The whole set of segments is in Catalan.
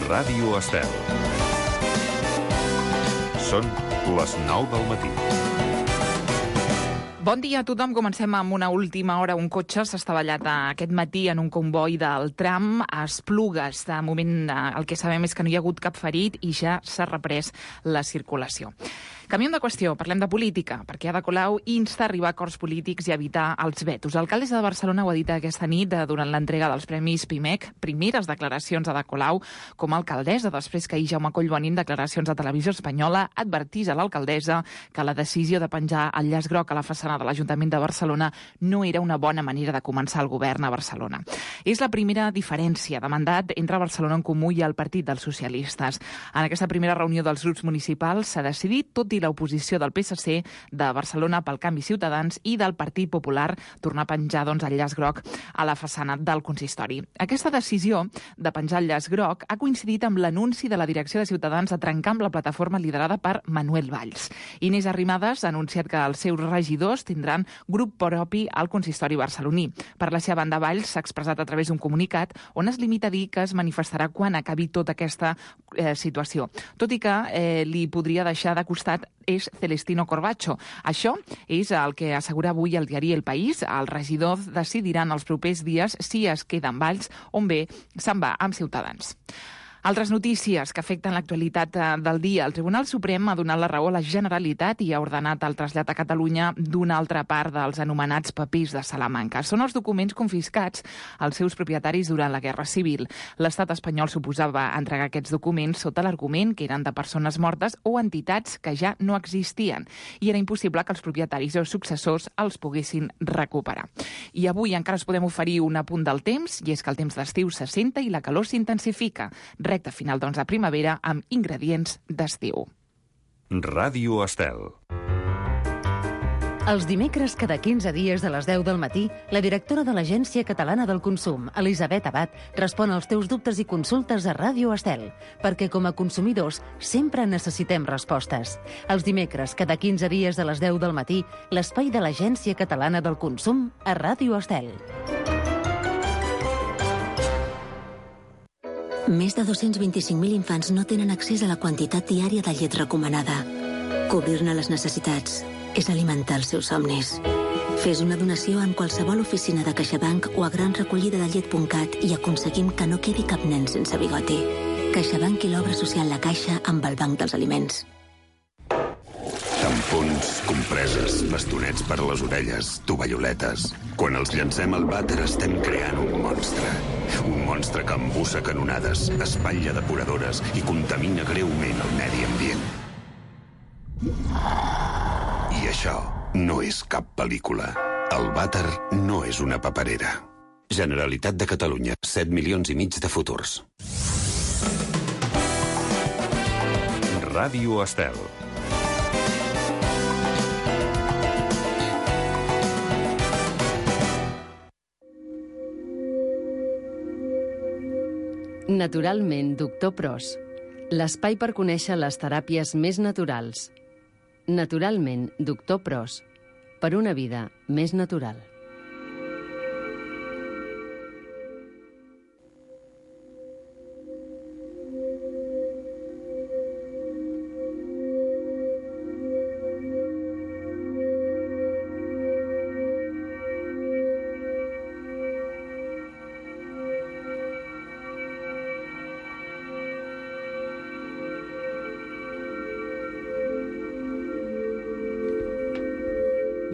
Ràdio Estel. Són les 9 del matí. Bon dia a tothom. Comencem amb una última hora. Un cotxe s'ha estavellat aquest matí en un comboi del tram a Esplugues. De moment el que sabem és que no hi ha hagut cap ferit i ja s'ha reprès la circulació. Canviem de qüestió, parlem de política, perquè Ada Colau insta a arribar a acords polítics i evitar els vetos. L'alcaldessa de Barcelona ho ha dit aquesta nit durant l'entrega dels Premis PIMEC, primeres declaracions d'Ada Colau com a alcaldessa, després que ahir Jaume Collboni, en declaracions a Televisió Espanyola, advertís a l'alcaldessa que la decisió de penjar el llaç groc a la façana de l'Ajuntament de Barcelona no era una bona manera de començar el govern a Barcelona. És la primera diferència de mandat entre Barcelona en Comú i el Partit dels Socialistes. En aquesta primera reunió dels grups municipals s'ha decidit, tot i l'oposició del PSC, de Barcelona pel Canvi Ciutadans i del Partit Popular, tornar a penjar el llaç groc a la façana del consistori. Aquesta decisió de penjar el llaç groc ha coincidit amb l'anunci de la direcció de Ciutadans de trencar amb la plataforma liderada per Manuel Valls. Inés Arrimadas ha anunciat que els seus regidors tindran grup propi al consistori barceloní. Per la seva banda, Valls s'ha expressat a través d'un comunicat on es limita a dir que es manifestarà quan acabi tota aquesta situació. Tot i que li podria deixar de costat és Celestino Corbacho. Això és el que assegura avui el diari El País. Els regidors decidiran els propers dies si es queda amb Valls o bé se'n va amb Ciutadans. Altres notícies que afecten l'actualitat del dia. El Tribunal Suprem ha donat la raó a la Generalitat i ha ordenat el trasllat a Catalunya d'una altra part dels anomenats papers de Salamanca. Són els documents confiscats als seus propietaris durant la Guerra Civil. L'estat espanyol suposava entregar aquests documents sota l'argument que eren de persones mortes o entitats que ja no existien i era impossible que els propietaris o successors els poguessin recuperar. I avui encara us podem oferir un apunt del temps, i és que el temps d'estiu s'assenta i la calor s'intensifica. Recte final de primavera amb ingredients d'estiu. Ràdio Estel. Els dimecres, cada 15 dies a les 10 del matí, la directora de l'Agència Catalana del Consum, Elisabet Abad, respon als teus dubtes i consultes a Ràdio Estel, perquè com a consumidors sempre necessitem respostes. Els dimecres, cada 15 dies a les 10 del matí, l'espai de l'Agència Catalana del Consum a Ràdio Estel. Més de 225.000 infants no tenen accés a la quantitat diària de llet recomanada. Cobrir-ne les necessitats és alimentar els seus somnis. Fes una donació en qualsevol oficina de CaixaBank o a granrecollidadellet.cat i aconseguim que no quedi cap nen sense bigoti. CaixaBank i l'obra social La Caixa amb el Banc dels Aliments. Tampons, compreses, bastonets per a les orelles, tovalloletes. Quan els llancem al vàter estem creant un monstre. Un monstre que embussa canonades, espatlla depuradores i contamina greument el medi ambient. I això no és cap pel·lícula. El vàter no és una paperera. Generalitat de Catalunya, 7,5 milions de futurs. Ràdio Estel. Naturalment, Doctor Pros. L'espai per conèixer les teràpies més naturals. Naturalment, Doctor Pros. Per una vida més natural.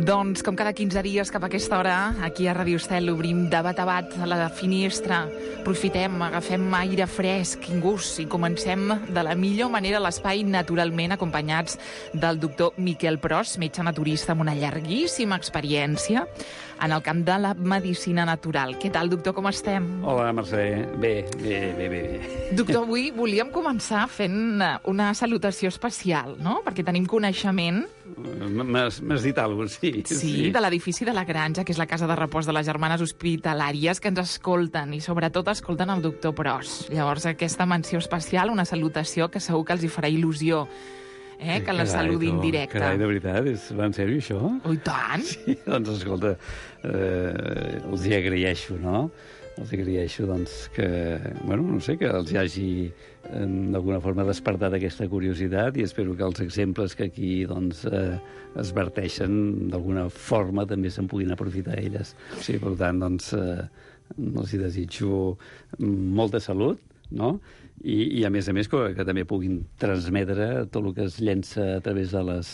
Doncs, com cada 15 dies cap a aquesta hora, aquí a Ràdio Estel obrim de bat a bat a la finestra. Aprofitem, agafem aire fresc, gust, i comencem de la millor manera l'espai naturalment, acompanyats del doctor Miquel Pros, metge naturista amb una llarguíssima experiència en el camp de la medicina natural. Què tal, doctor, com estem? Hola, Mercè. Bé. Doctor, avui volíem començar fent una salutació especial, no? Perquè tenim coneixement... M'has dit alguna cosa, sí. Sí, de l'edifici de la Granja, que és la casa de repòs de les germanes hospitalàries, que ens escolten, i sobretot escolten el doctor Pros. Llavors, aquesta menció especial, una salutació que segur que els hi farà il·lusió, que la saludin directe. Carai, de veritat, va en sèrio, això? Oh, i tant! Sí, doncs, escolta, els hi agraeixo, no? els agraeixo doncs, que, bueno, no sé, que els hagi d'alguna forma despertat aquesta curiositat i espero que els exemples que aquí doncs, es verteixen d'alguna forma també se'n puguin aprofitar elles. O sigui, per tant, doncs, els hi desitjo molta salut, no? I a més, que també puguin transmetre tot el que es llença a través de les,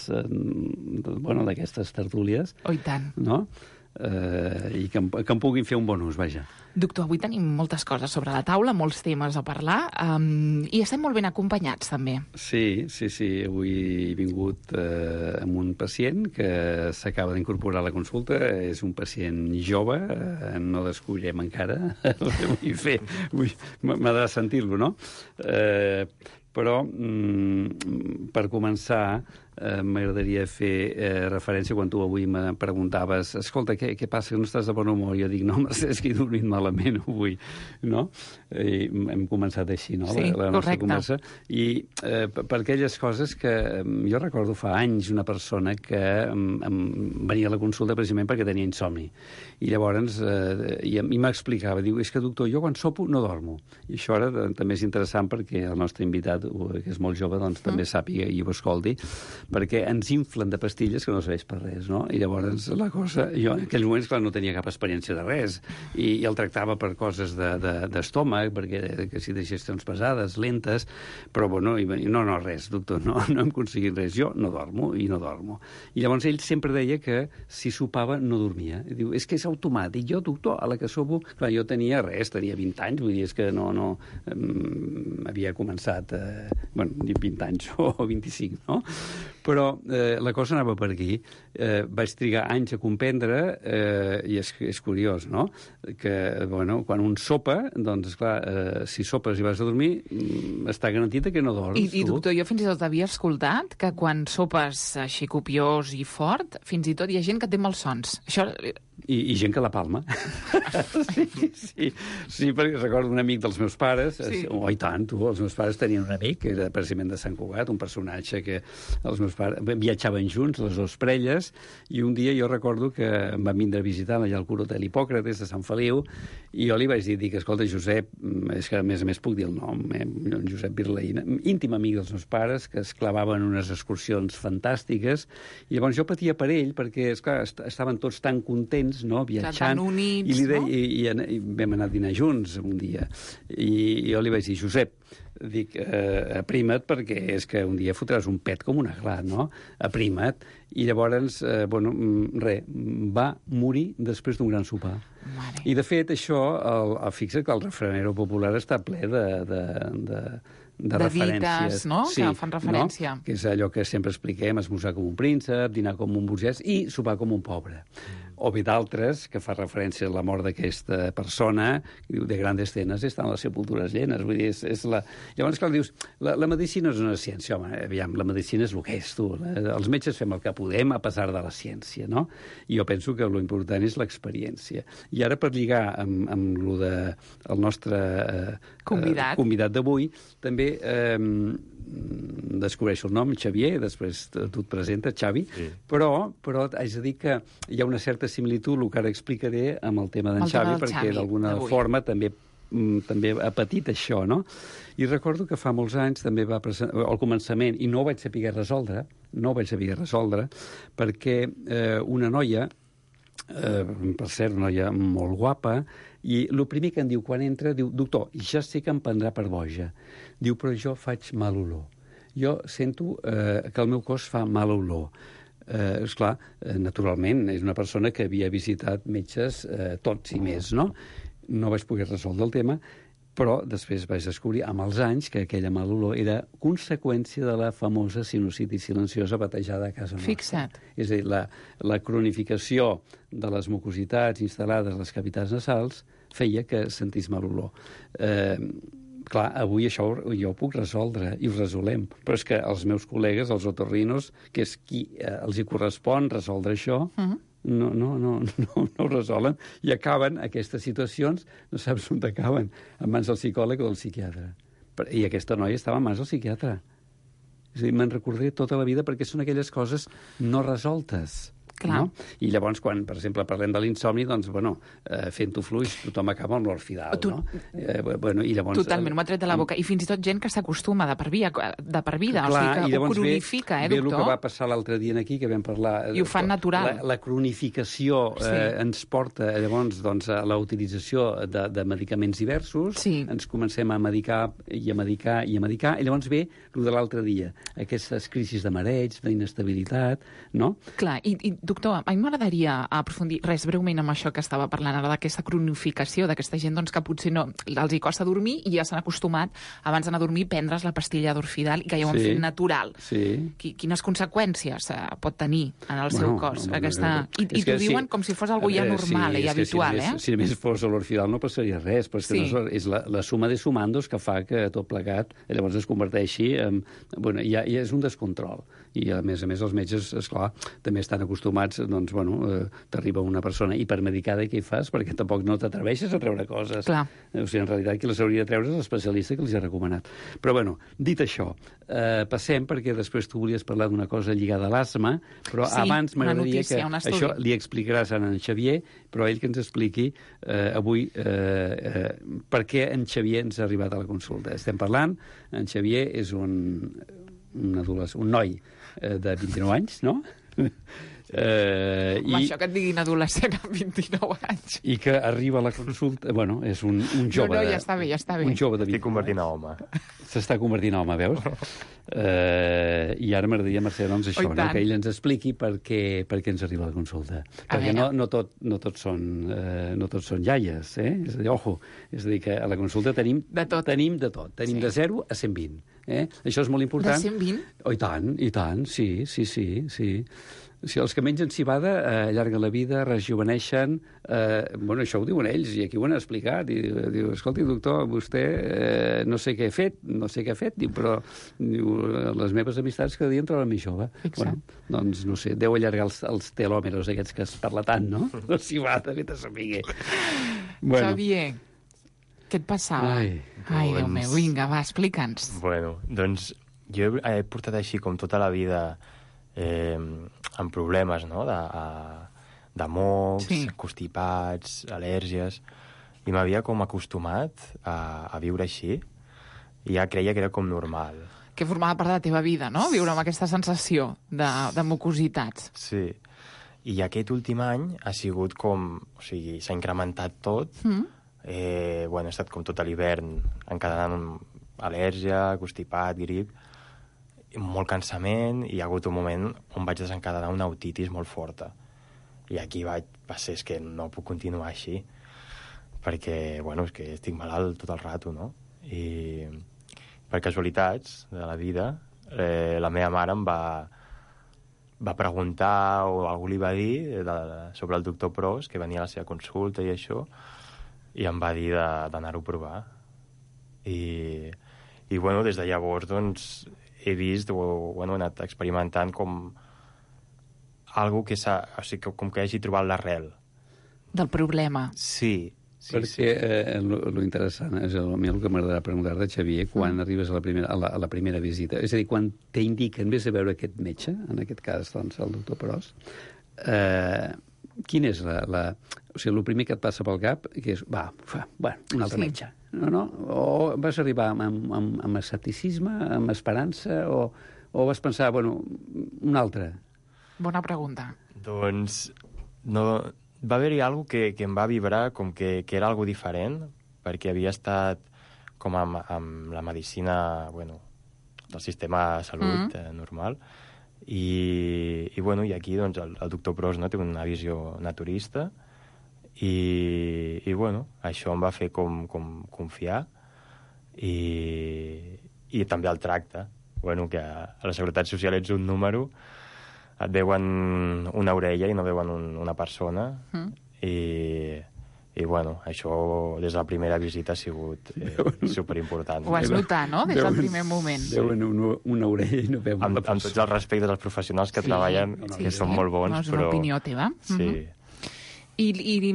bueno, d'aquestes tertúlies. Oh, i tant. No? I que en puguin fer un bon ús, vaja. Doctor, avui tenim moltes coses sobre la taula, molts temes a parlar, i estem molt ben acompanyats, també. Sí. Avui he vingut amb un pacient que s'acaba d'incorporar a la consulta. És un pacient jove, no descobrem encara. M'agrada sentir-lo, no? Però, per començar, m'agradaria fer referència quan tu avui me preguntaves escolta, què passa, que no estàs de bon humor? Jo dic, no, Mercè, és que he dormit malament avui, no? I hem començat així, no? Sí, la nostra correcte. conversa. I per aquelles coses que jo recordo fa anys una persona que venia a la consulta precisament perquè tenia insomni. I llavors i m'explicava, diu, és que doctor, jo quan sopo no dormo. I això ara també és interessant perquè el nostre invitat, que és molt jove, doncs també sàpiga i ho escolti, perquè ens inflen de pastilles que no serveix per res, no? I llavors la cosa... Jo en aquells moments, clar, no tenia cap experiència de res i el tractava per coses d'estómac, perquè que si digestions pesades, lentes, però bueno, no, res, doctor, no hem aconseguit res. Jo no dormo i no dormo. I llavors ell sempre deia que si sopava no dormia. I diu, és que és automàtic. Jo, doctor, a la que sopo... Clar, jo tenia 20 anys, vull dir, és que no havia començat, 20 anys o 25, no? Però la cosa anava per aquí. Vaig trigar anys a comprendre, i és curiós, no?, que, bueno, quan un sopa, doncs, esclar, si sopes i vas a dormir, està garantit que no dorms. I doctor, jo fins i tot havia escoltat que quan sopes així copiós i fort, fins i tot hi ha gent que té malsons. Això... I gent que la palma. Sí, perquè recordo un amic dels meus pares, i tant, els meus pares tenien un amic, que era precisament de Sant Cugat, un personatge que els meus pares viatjaven junts, les dues parelles, i un dia jo recordo que em van vindre a visitar allà al Curó de l'Hipòcrates de Sant Feliu, i jo li vaig dir que, escolta, Josep, és que a més puc dir el nom, Josep Virlaïna, íntim amic dels meus pares, que es clavaven unes excursions fantàstiques, i llavors jo patia per ell, perquè, esclar, estaven tots tan contents, no, viatjant, units, i li deia, i vam anar a dinar junts un dia, i jo li vaig dir, Josep, dic, aprima't, perquè és que un dia fotràs un pet com una gla, no? Aprima't. I llavors, va morir després d'un gran sopar. Mare. I, de fet, això, fixa't que el refranero popular està ple de referències. Dites, no?, sí, que fan referència. No? Que és allò que sempre expliquem, esmorzar com un príncep, dinar com un burgès i sopar com un pobre. O bé d'altres, que fa referència a la mort d'aquesta persona, que diu, de grandes cenas estan les sepultures llenes. Vull dir, és la... Llavors, clar, dius, la medicina és una ciència. Home, aviam, la medicina és el que és, tu. Els metges fem el que podem a pesar de la ciència, no? I jo penso que l'important és l'experiència. I ara, per lligar amb lo de el nostre convidat d'avui, també descobreixo el nom, Xavier, després tu et presentes, Xavi, sí. Però haig de dir que hi ha una certa similitud, el que ara explicaré, amb el tema d'en Xavi, perquè d'alguna forma també ha patit això, no? I recordo que fa molts anys també va presentar, al començament, i no ho vaig saber resoldre, perquè una noia, per cert, una noia molt guapa, i el primer que em diu quan entra, diu, doctor, ja sé que em prendrà per boja. Diu, però jo faig mal olor. Jo sento que el meu cos fa mal olor. Esclar, naturalment, és una persona que havia visitat metges tots i més, no? No vaig poder resoldre el tema, però després vaig descobrir, amb els anys, que aquella mal olor era conseqüència de la famosa sinusitis silenciosa batejada a casa nostra. Fixa't. És a dir, la cronificació de les mucositats instal·lades a les cavitats nasals feia que sentís mal olor. Clar, avui això jo ho puc resoldre i ho resolem, però és que els meus col·legues, els otorrinos, que és qui els hi correspon resoldre això, no ho resolen i acaben aquestes situacions, no saps on acaben, en mans del psicòleg o del psiquiatre. I aquesta noia estava en mans del psiquiatre. És a dir, me'n recordaré tota la vida perquè són aquelles coses no resoltes. No? I llavors, quan, per exemple, parlem de l'insomni, doncs, fent-ho fluix, tothom acaba amb l'orfidal, no? I llavors... Totalment, m'ho ha tret de la boca. I fins i tot gent que s'acostuma de per vida, clar, o sigui, que ho cronifica, doctor? Ve el que va doctor? passar l'altre dia aquí, que vam parlar... I ho fan natural. La cronificació ens porta, llavors, a la utilització de medicaments diversos, ens comencem a medicar, i llavors ve el de l'altre dia, aquestes crisis de mareig, d'inestabilitat, no? Clar, i doctor, a mi m'agradaria aprofundir breument amb això que estava parlant ara, d'aquesta cronificació, d'aquesta gent doncs, que potser no els hi costa dormir i ja s'han acostumat abans d'anar a dormir prendre's la pastilla d'orfidal i que ja ho han fet natural. Sí. Quines conseqüències pot tenir en el seu cos? I t'ho diuen com si fos algo ja normal i habitual, Si només fos l'orfidal no passaria res, però és la suma de sumandos que fa que tot plegat llavors es converteixi en... ja és un descontrol. I, a més, els metges, esclar, també estan acostumats, doncs, t'arriba una persona hipermedicada i què hi fas? Perquè tampoc no t'atreveixes a treure coses. Clar. O sigui, en realitat, qui les hauria de treure és l'especialista que els ha recomanat. Però, dit això, passem, perquè després tu volies parlar d'una cosa lligada a l'asma, però abans m'agradaria que això li explicaràs a en Xavier, però ell que ens expliqui avui per què en Xavier ens ha arribat a la consulta. Estem parlant, en Xavier és un noi de 29 anys, no? Això que et diguin adolescent amb 29 anys. I que arriba a la consulta... és un jove... No, ja està bé. Un jove de 29 Estic convertint a home. S'està convertint a home, veus? I ara m'agradaria, Mercè, doncs això, que ell ens expliqui per què ens arriba a la consulta. Perquè no tots són iaies, eh? És a dir, és a dir, que a la consulta tenim de tot. Tenim de 0 a 120. Això és molt important. De 120? Oh, i tant, sí. Si els que mengen cibada allarguen la vida, rejuveneixen... això ho diuen ells, i aquí ho han explicat. Diu, escolti, doctor, vostè no sé què ha fet, diu, però les meves amistats cada dia em troben més jove. Doncs, no sé, deu allargar els telòmeros aquests que es parla tant, no? La cibada, vete a saber. Xavier, què et passava? Ai, Déu meu, vinga, va, explica'ns. Doncs jo he portat així com tota la vida amb problemes, no?, de mocs, constipats, al·lèrgies, i m'havia com acostumat a viure així, i ja creia que era com normal. Que formava part de la teva vida, no?, viure amb aquesta sensació de mucositats. Sí, i aquest últim any ha sigut com... O sigui, s'ha incrementat tot. He estat com tot l'hivern encadenant al·lèrgia, constipat, grip, molt cansament, i hi ha hagut un moment on vaig desencadenar una otitis molt forta. I aquí va ser, és que no puc continuar així, perquè, és que estic malalt tot el rato, no? I per casualitats de la vida, la meva mare em va preguntar, o algú li va dir, sobre el doctor Pros, que venia a la seva consulta i això, i em va dir d'anar-ho a provar. I des de llavors, doncs, he vist, he anat experimentant com algo que com que hagi trobat l'arrel. Del problema. Sí. Perquè lo interessant és a mi el que m'agradarà preguntar-te, Xavier, quan arribes a la primera visita. És a dir, quan t'indiquen, vés a veure aquest metge, en aquest cas, doncs, el doctor Pros, quin és o sigui, el primer que et passa pel cap, que és, un altre metge. No? O vas arribar amb escepticisme, amb esperança, o vas pensar, un altre? Bona pregunta. Doncs no, va haver-hi alguna cosa que em va vibrar com que era algo diferent, perquè havia estat com amb la medicina, del sistema de salut normal, i aquí doncs, el doctor Pros, no, té una visió naturista, i això em va fer com confiar, i també el tracte, que a la Seguretat Social ets un número, et veuen una orella i no veuen una persona, i això des de la primera visita ha sigut superimportant. Ho vas notar, no?, des del primer moment. Veuen una orella i no veuen una persona. Amb tots els respectes dels professionals que treballen, que són molt bons, no és una opinió teva. Sí. I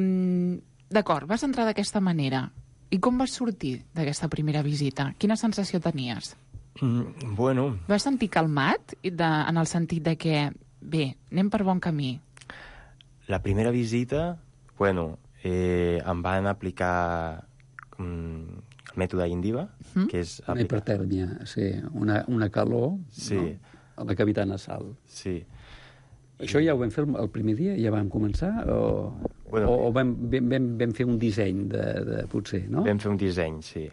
d'acord, vas entrar d'aquesta manera. I com vas sortir d'aquesta primera visita? Quina sensació tenies? Bueno... Vas sentir calmat en el sentit de que, bé, anem per bon camí? La primera visita, bueno, em van aplicar el mètode Indiva, que és... Una hipertèrmia, sí, una calor, sí, no? A la cavitat nasal. Sí. Això ja ho vam fer el primer dia? Ja vam començar? O vam fer un disseny de potser, no? Vam fer un disseny, sí.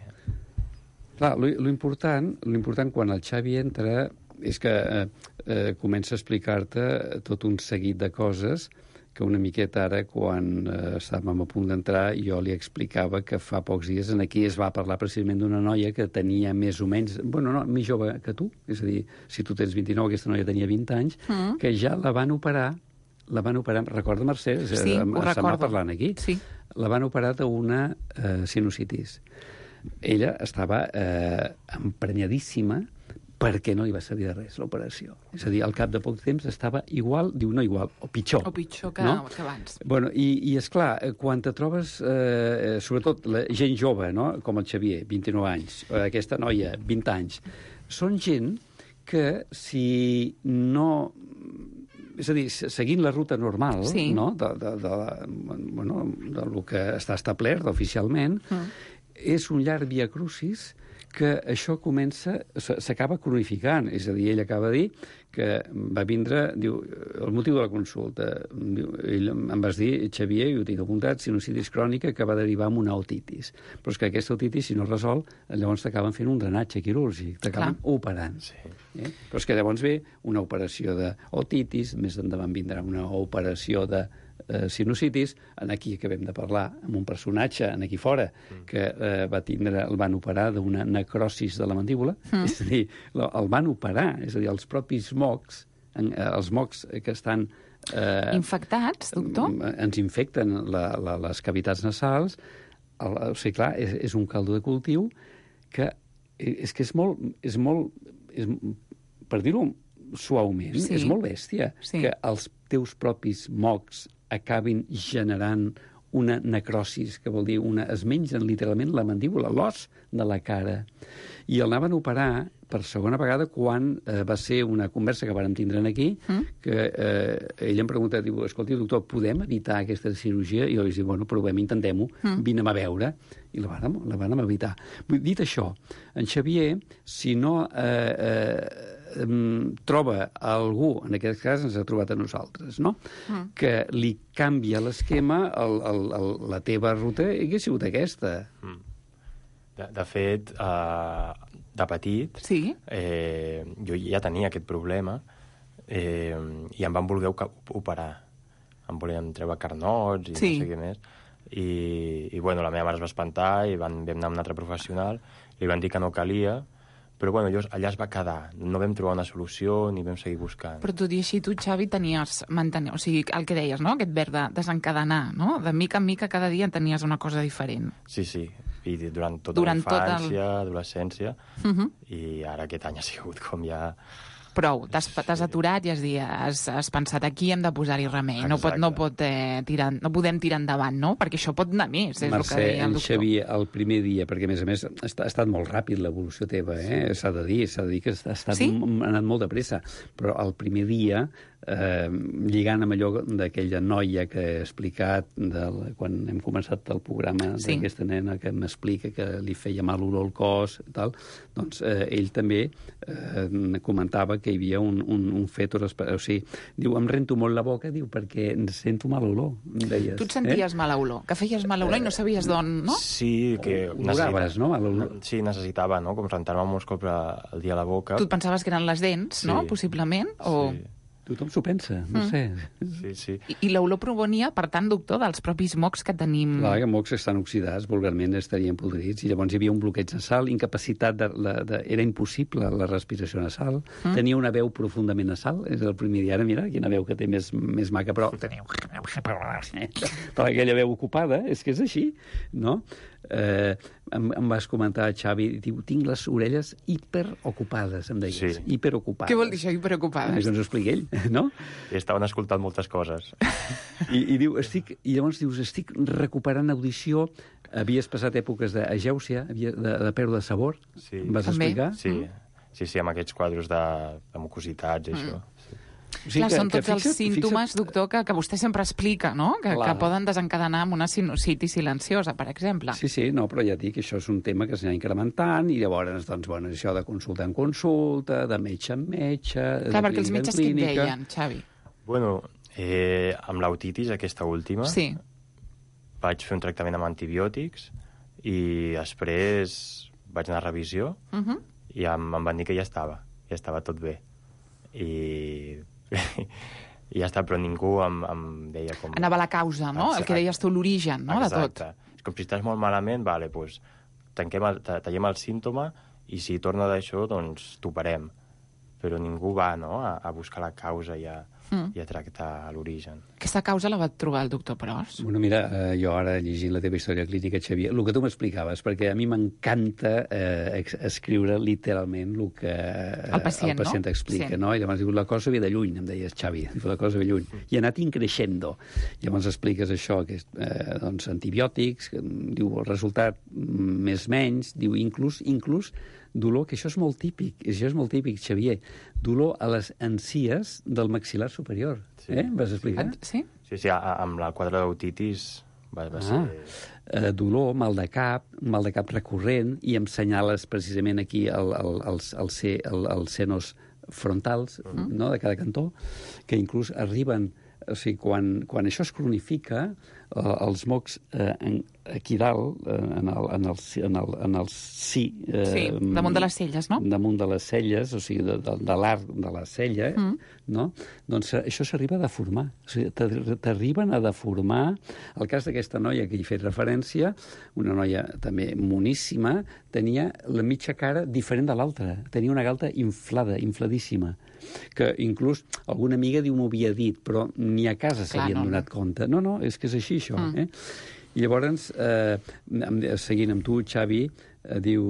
Clar, l'important quan el Xavi entra és que comença a explicar-te tot un seguit de coses que una miqueta ara, quan estàvem a punt d'entrar, jo li explicava que fa pocs dies aquí es va parlar precisament d'una noia que tenia més o menys... Bueno, no, més jove que tu, és a dir, si tu tens 29, aquesta noia tenia 20 anys, que ja la van operar, recorda, Mercè? Sí, ho recordo. Parlant aquí. Sí. La van operar d'una sinusitis. Ella estava emprenyadíssima perquè no li va servir de res l'operació. És a dir, al cap de poc temps estava igual, diu no igual, o pitjor. O pitjor que, no? Que abans. Bueno, i esclar, quan te trobes, sobretot la gent jove, no? Com el Xavier, 29 anys, aquesta noia, 20 anys, són gent que si no... És a dir, seguint la ruta normal, sí, no? Del que està establert oficialment, és un llarg viacrucis que això s'acaba cronificant. És a dir, ell acaba de dir que va vindre, diu, el motiu de la consulta, diu, ell em vas dir, Xavier, i ho tinc apuntat, sinusitis crònica que va derivar en una otitis. Però és que aquesta otitis, si no resol, llavors t'acaben fent un drenatge quirúrgic, t'acaben operant. Sí. Però és que llavors ve una operació d'otitis, més endavant vindrà una operació de sinusitis, aquí acabem de parlar amb un personatge aquí fora que el van operar d'una necrosis de la mandíbula, és a dir, el van operar, és a dir, els propis mocs, els mocs que estan infectats, doctor? Ens infecten les cavitats nasals, o sigui, clar, és un caldo de cultiu que és molt, per dir-ho suaument, és molt bèstia que els teus propis mocs acabin generant una necrosis, que vol dir es mengen literalment la mandíbula, l'os de la cara. I el anaven a operar per segona vegada quan va ser una conversa que vàrem tindre aquí, que ell em pregunta, diu, escolti, doctor, podem evitar aquesta cirurgia? I jo li dic, bueno, provem, intentem-ho, vine-me a veure. I la vàrem evitar. Dit això, en Xavier, si no troba algú, en aquest cas ens ha trobat a nosaltres, no? Que li canvia l'esquema, la teva ruta hauria sigut aquesta. De fet, de petit, jo ja tenia aquest problema i em van voler operar. Em volien treure carnots i no sé què més. I bueno, la meva mare es va espantar i vam anar a un altre professional, li van dir que no calia, però bueno, allà es va quedar. No vam trobar una solució ni vam seguir buscant. Però tot i així tu, Xavi, o sigui, el que deies, no? Aquest verb de desencadenar, no? De mica en mica cada dia tenies una cosa diferent. Sí, i durant tota la infància, adolescència, i ara aquest any ha sigut com ja... Prou, t'has aturat i has pensat aquí hem de posar-hi remei. No podem tirar endavant, no? Perquè això pot anar més, és el que deia el doctor. Xavier, el primer dia, perquè a més ha estat molt ràpid l'evolució teva, s'ha de dir que ha anat molt de pressa, però el primer dia, lligant amb allò d'aquella noia que he explicat quan hem començat el programa d'aquesta nena que m'explica que li feia mal olor al cos i tal, doncs ell també comentava que hi havia un fètor, o sigui, diu, em rento molt la boca, diu, perquè sento mala olor, em deies. Tu et senties mala olor, que feies mala olor i no sabies d'on, no? Sí, que oloraves, no? Sí, necessitava, no?, com rentar-me molts cops al dia a la boca. Tu et pensaves que eren les dents, no?, possiblement, o... Sí. Tothom s'ho pensa, no sé. Sí. I l'olor provenia, per tant, doctor, dels propis mocs que tenim... Clar, que mocs estan oxidats, vulgarment estarien podrits, i llavors hi havia un bloqueig nasal, incapacitat, era impossible la respiració nasal, tenia una veu profundament nasal, és el primer dia, ara mira, quina veu que té més maca, però tenia aquella veu ocupada, és que és així, no? Em vas comentar, Xavi, diu, tinc les orelles hiperocupades, em deies, hiperocupades. Què vol dir això, hiperocupades? Això ens ho explica ell, no? I estaven escoltant moltes coses. I llavors dius, estic recuperant audició, havies passat èpoques d'agèusia, de pèrdua de sabor, em vas explicar? Sí, amb aquests quadros de mucositats i això. Clar, són tots els símptomes, doctor, que vostè sempre explica, no? Que poden desencadenar amb una sinusitis silenciosa, per exemple. Sí, no, però ja dic que això és un tema que s'anirà incrementant i llavors, doncs, bueno, això de consulta en consulta, de metge en metge, clar, perquè els metges què et deien, Xavi? Bueno, amb l'otitis, aquesta última, vaig fer un tractament amb antibiòtics i després vaig anar a revisió i em van dir que ja estava tot bé. I ja està, però ningú em deia com... Anava a la causa, no? El que deies tu, l'origen, no?, de tot. Exacte. És com si estàs molt malament, vale, doncs tallem el símptoma i si torna d'això, doncs t'operem. Però ningú va, no?, a buscar la causa i a tractar l'origen. Aquesta causa la va trobar el doctor Pros? Bueno, mira, jo ara llegint la teva història clínica, Xavier, el que tu m'explicaves, perquè a mi m'encanta escriure literalment el que el pacient explica, no? I llavors diu, la cosa ve de lluny, em deies, Xavi, la cosa ve lluny. I ha anat increixendo. Llavors expliques això, que doncs antibiòtics, diu el resultat més menys, diu inclús dolor, que això és molt típic, Xavier, dolor a les encies del maxil·lar superior. Vas explicar? Sí, amb la quadre d'otitis va ser... Dolor, mal de cap recurrent, i em senyales precisament aquí els senos frontals, no?, de cada cantó, que inclús arriben... O sigui, quan això es cronifica, els mocs aquí dalt, en el sí... damunt de les celles, no? Damunt de les celles, o sigui, de l'arc de la cella, no? Doncs això s'arriba a deformar. O sigui, t'arriben a deformar. El cas d'aquesta noia que hi he fet referència, una noia també moníssima, tenia la mitja cara diferent de l'altra. Tenia una galta infladíssima, que inclús alguna amiga diu m'ho havia dit, però ni a casa s'havien donat compte. No, és que és així, això. I llavors, seguint amb tu, Xavi, diu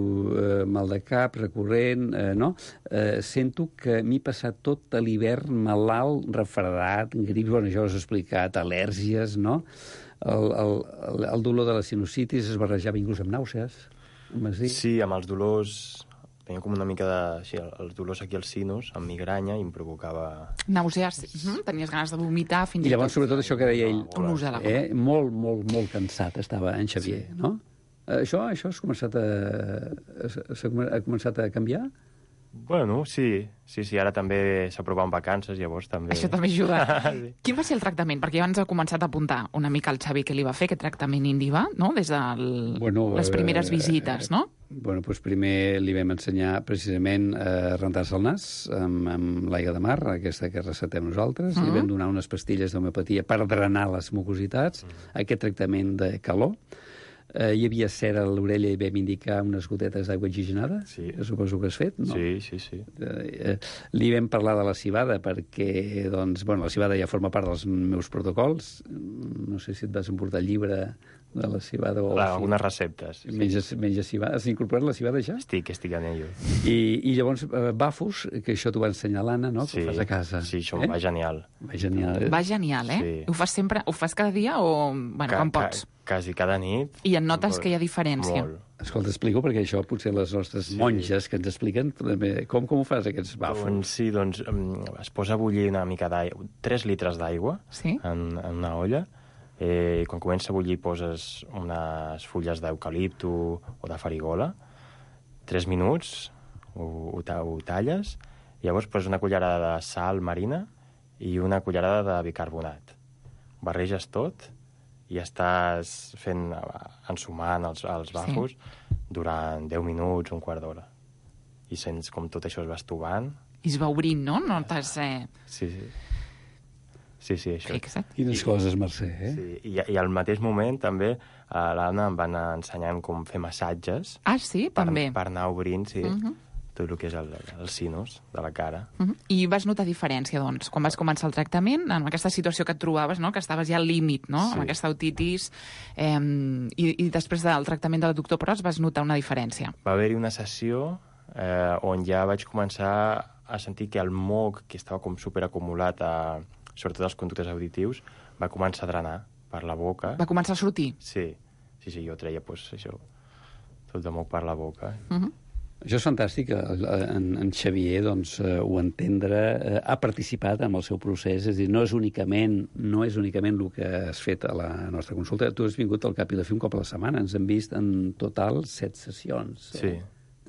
mal de cap, recurrent, no? Sento que m'he passat tot l'hivern malalt, refredat, grips, bueno, això ho has explicat, al·lèrgies, no? El dolor de la sinusitis es barrejava inclús amb nàusees. Sí, amb els dolors... Tenia com una mica de... Així, els dolors aquí als sinus, amb migranya, i em provocava... Nàusees. Tenies ganes de vomitar fins i tot. I llavors, sobretot, això que deia ell... Un ús de la boca. Molt cansat estava en Xavier, no? Això has començat ha començat a canviar? Bueno, sí, ara també s'aproven vacances, llavors també... Això també ajuda. Quin va ser el tractament? Perquè abans ha començat a apuntar una mica el Xavi que li va fer, aquest tractament Indiva, no?, des de les primeres visites, no? Bueno, doncs primer li vam ensenyar precisament a rentar-se el nas amb l'aigua de mar, aquesta que recetem nosaltres. Li vam donar unes pastilles d'homeopatia per drenar les mucositats, aquest tractament de calor. Hi havia cera a l'orella i vam indicar unes gotetes d'aigua oxigenada, que suposo que has fet, no? Sí. Li vam parlar de la civada perquè, doncs, bueno, la civada ja forma part dels meus protocols. No sé si et vas emportar el llibre de la civada o... Algunes receptes. Menges civada. Has incorporat la civada ja? Estic en ello. I llavors, bafos, que això t'ho va ensenyar l'Anna, no? Que ho fas a casa. Sí, això va genial. Va genial, eh? Ho fas sempre? Ho fas cada dia o, bueno, quan pots? Quasi cada nit. I en notes que hi ha diferència? Molt. Escolta, explico, perquè això potser les nostres monges que ens expliquen com ho fas, aquests bafos? Doncs es posa a bullir una mica d'aigua, 3 litres d'aigua en una olla, i quan comença a bullir poses unes fulles d'eucalipto o de farigola, 3 minuts, ho talles, i llavors poses una cullerada de sal marina i una cullerada de bicarbonat. Barreges tot i estàs ensumant els bafos durant 10 minuts, un quart d'hora. I sents com tot això es va estovant. I es va obrint, no? Notes... Sí, això. Fixa't. Quines coses, Mercè, eh? Sí, i al mateix moment també l'Anna em va anar ensenyant com fer massatges. Ah, sí? També. Per anar obrint, tot el que és el sinus de la cara. I vas notar diferència, doncs, quan vas començar el tractament, en aquesta situació que et trobaves, no?, que estaves ja al límit, no?, amb aquesta otitis, i després del tractament del doctor Pros vas notar una diferència. Va haver-hi una sessió on ja vaig començar a sentir que el moc, que estava com superacumulat sobretot als conductes auditius, va començar a drenar per la boca. Va començar a sortir? Sí, jo treia, doncs, això, tot de moc per la boca. Això és fantàstic. En Xavier doncs, ho entendre, ha participat en el seu procés, és a dir, no és únicament el que has fet a la nostra consulta. Tu has vingut al cap i a la fi un cop a la setmana. Ens hem vist en total 7 sessions. Sí.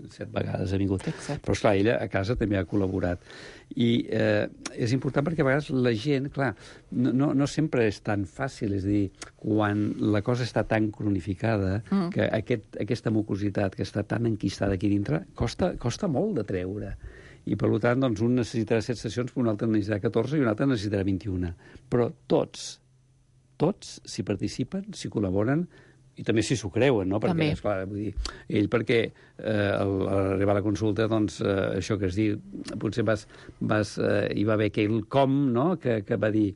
7 vegades ha vingut. Exacte. Però, esclar, ella a casa també ha col·laborat. I és important perquè a vegades la gent, clar, no sempre és tan fàcil, és a dir, quan la cosa està tan cronificada que aquesta mucositat que està tan enquistada aquí dintre costa molt de treure. I, per tant, doncs, un necessitarà 7 sessions, un altre necessitarà 14 i un altre necessitarà 21. Però tots, si participen, si col·laboren, i també si s'ho creuen, no? Perquè, esclar, vull dir, ell perquè al arribar a la consulta, doncs, això que es diu, potser hi va haver aquell com, no?, que va dir,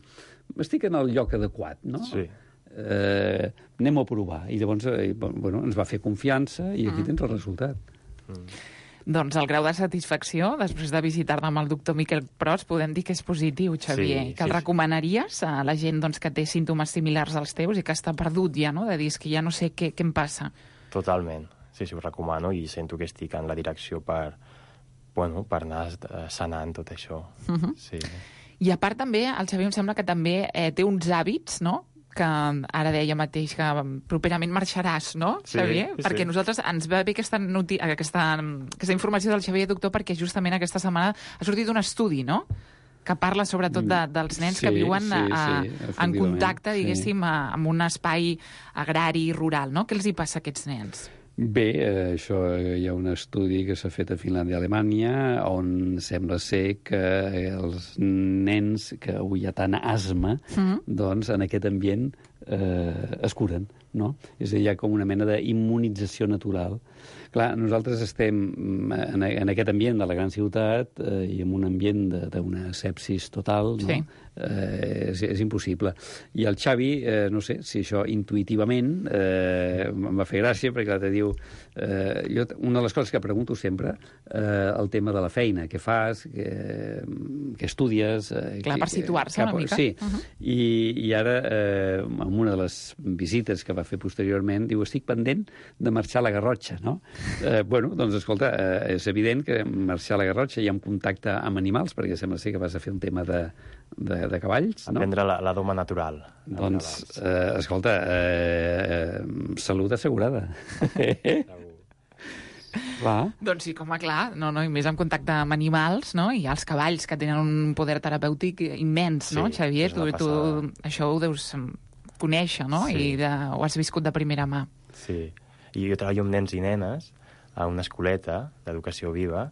estic en el lloc adequat, no? Sí. Anem a provar. I llavors, ens va fer confiança i aquí tens el resultat. Doncs el grau de satisfacció, després de visitar-ne amb el doctor Miquel Pros, podem dir que és positiu, Xavier. Sí, que el recomanaries a la gent doncs, que té símptomes similars als teus i que està perdut ja, no?, de dir que ja no sé què em passa. Totalment. Sí, ho recomano i sento que estic en la direcció per anar sanant tot això. Sí. I a part també, el Xavier em sembla que també té uns hàbits, no?, que ara deia mateix que properament marxaràs, no, Xavier? Sí, perquè nosaltres ens va bé aquesta informació del Xavier, doctor, perquè justament aquesta setmana ha sortit un estudi, no?, que parla sobretot dels nens que viuen en contacte, diguéssim, amb un espai agrari i rural, no? Què els hi passa a aquests nens? Bé, això hi ha un estudi que s'ha fet a Finlàndia i Alemanya on sembla ser que els nens que avui hi ha tant asma, doncs en aquest ambient es curen, no? És a dir, hi ha com una mena d'immunització natural. Clar, nosaltres estem en aquest ambient de la gran ciutat i en un ambient d'una sepsis total, no? Sí. És impossible. I el Xavi, no sé si això intuïtivament em va fer gràcia, perquè clar, te diu... una de les coses que pregunto sempre, el tema de la feina, què fas, què estudies... Clar, per situar-se una mica. Sí, i ara, en una de les visites que va fer posteriorment, diu, estic pendent de marxar a la Garrotxa, no? Doncs, escolta, és evident que marxar a la Garrotxa i amb contacte amb animals, perquè sembla ser que vas a fer un tema de cavalls, no? Aprendre la doma natural. Doncs, escolta, salut assegurada. Clar. Doncs sí, com a clar, i més en contacte amb animals, no? I els cavalls, que tenen un poder terapèutic immens, no, Xavier? Tu això ho deus conèixer, no? Sí. I ho has viscut de primera mà. Sí, i jo treballo amb nens i nenes a una escoleta d'educació viva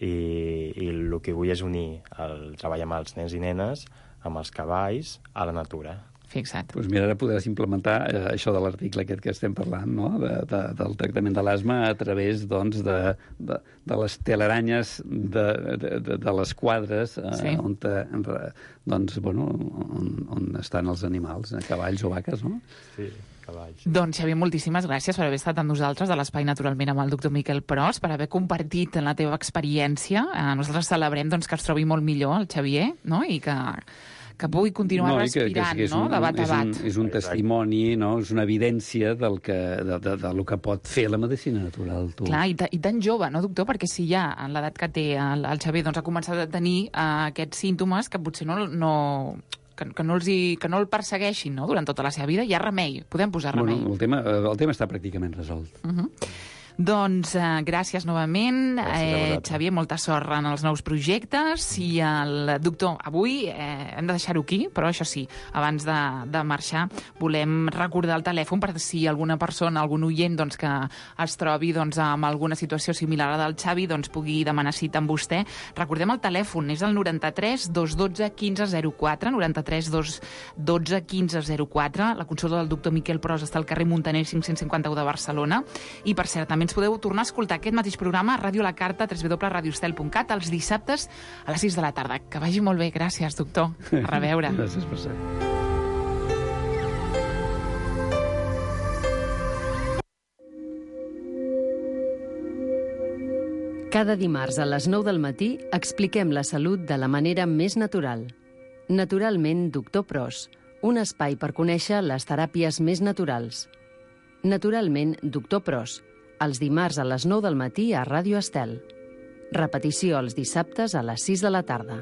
i el que vull és unir el treball amb els nens i nenes amb els cavalls a la natura. Fixa't. Doncs mira, ara podràs implementar això de l'article aquest que estem parlant, no? Del tractament de l'asma a través, doncs, de les teleranyes de les quadres on estan els animals, cavalls o vaques, no? Sí, cavalls. Doncs, Xavier, moltíssimes gràcies per haver estat amb nosaltres a l'Espai Naturalment amb el doctor Miquel Pros, per haver compartit la teva experiència. Nosaltres celebrem que es trobi molt millor el Xavier, no? I que pugui continuar respirant, no?, de bat a bat. És un testimoni, no?, és una evidència del que pot fer la medicina natural. Tu. Clar, i tan jove, no, doctor? Perquè si ja en l'edat que té el Xavier ha començat a tenir aquests símptomes que potser que no el persegueixin, no?, durant tota la seva vida, hi ha remei, podem posar remei. El tema està pràcticament resolt. Doncs gràcies novament. Gràcies Xavier, molta sort en els nous projectes. I el doctor, avui hem de deixar-ho aquí, però això sí, abans de marxar volem recordar el telèfon per si alguna persona, algun oient que es trobi amb alguna situació similar a la del Xavi, pugui demanar cita amb vostè. Recordem el telèfon, és el 93 212 1504, 93 212 1504. La consulta del doctor Miquel Pros està al carrer Muntaner 551 de Barcelona. I, per cert, també ens podeu tornar a escoltar aquest mateix programa a Ràdio La Carta, www.radiostel.cat, els dissabtes a les 6 de la tarda. Que vagi molt bé. Gràcies, doctor. A reveure. Gràcies per ser. Cada dimarts a les 9 del matí expliquem la salut de la manera més natural. Naturalment, doctor Pros, un espai per conèixer les teràpies més naturals. Naturalment, doctor Pros, els dimarts a les 9 del matí a Ràdio Estel. Repetició els dissabtes a les 6 de la tarda.